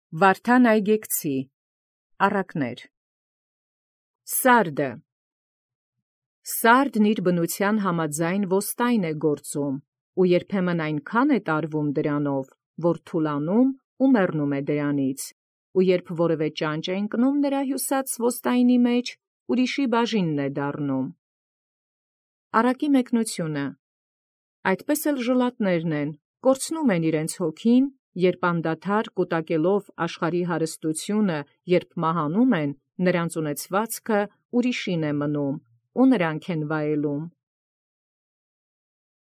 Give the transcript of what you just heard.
Վարդան այգեկցի առակներ։ Սարդը Սարդն իր բնութեան համաձայն ոստայն է գործում, ու երբեմն այնքան է տարվում դրանով, որ թուլանում ու մեռնում է դրանից, ու երբ որևէ ճանճ է ընկնում նրա հյուսած ոստայնի մեջ, ուրիշի բաժինն է դառնում։ Առակի մեկնությունը այդպես էլ ժլատներն են, կորցնում են իրենց հոգին, երբ անդադար կուտակելով աշխարհի հարստությունը, երբ մահանում են, նրանց ունեցվածքը ուրիշին է մնում, ու նրանք են վայելում։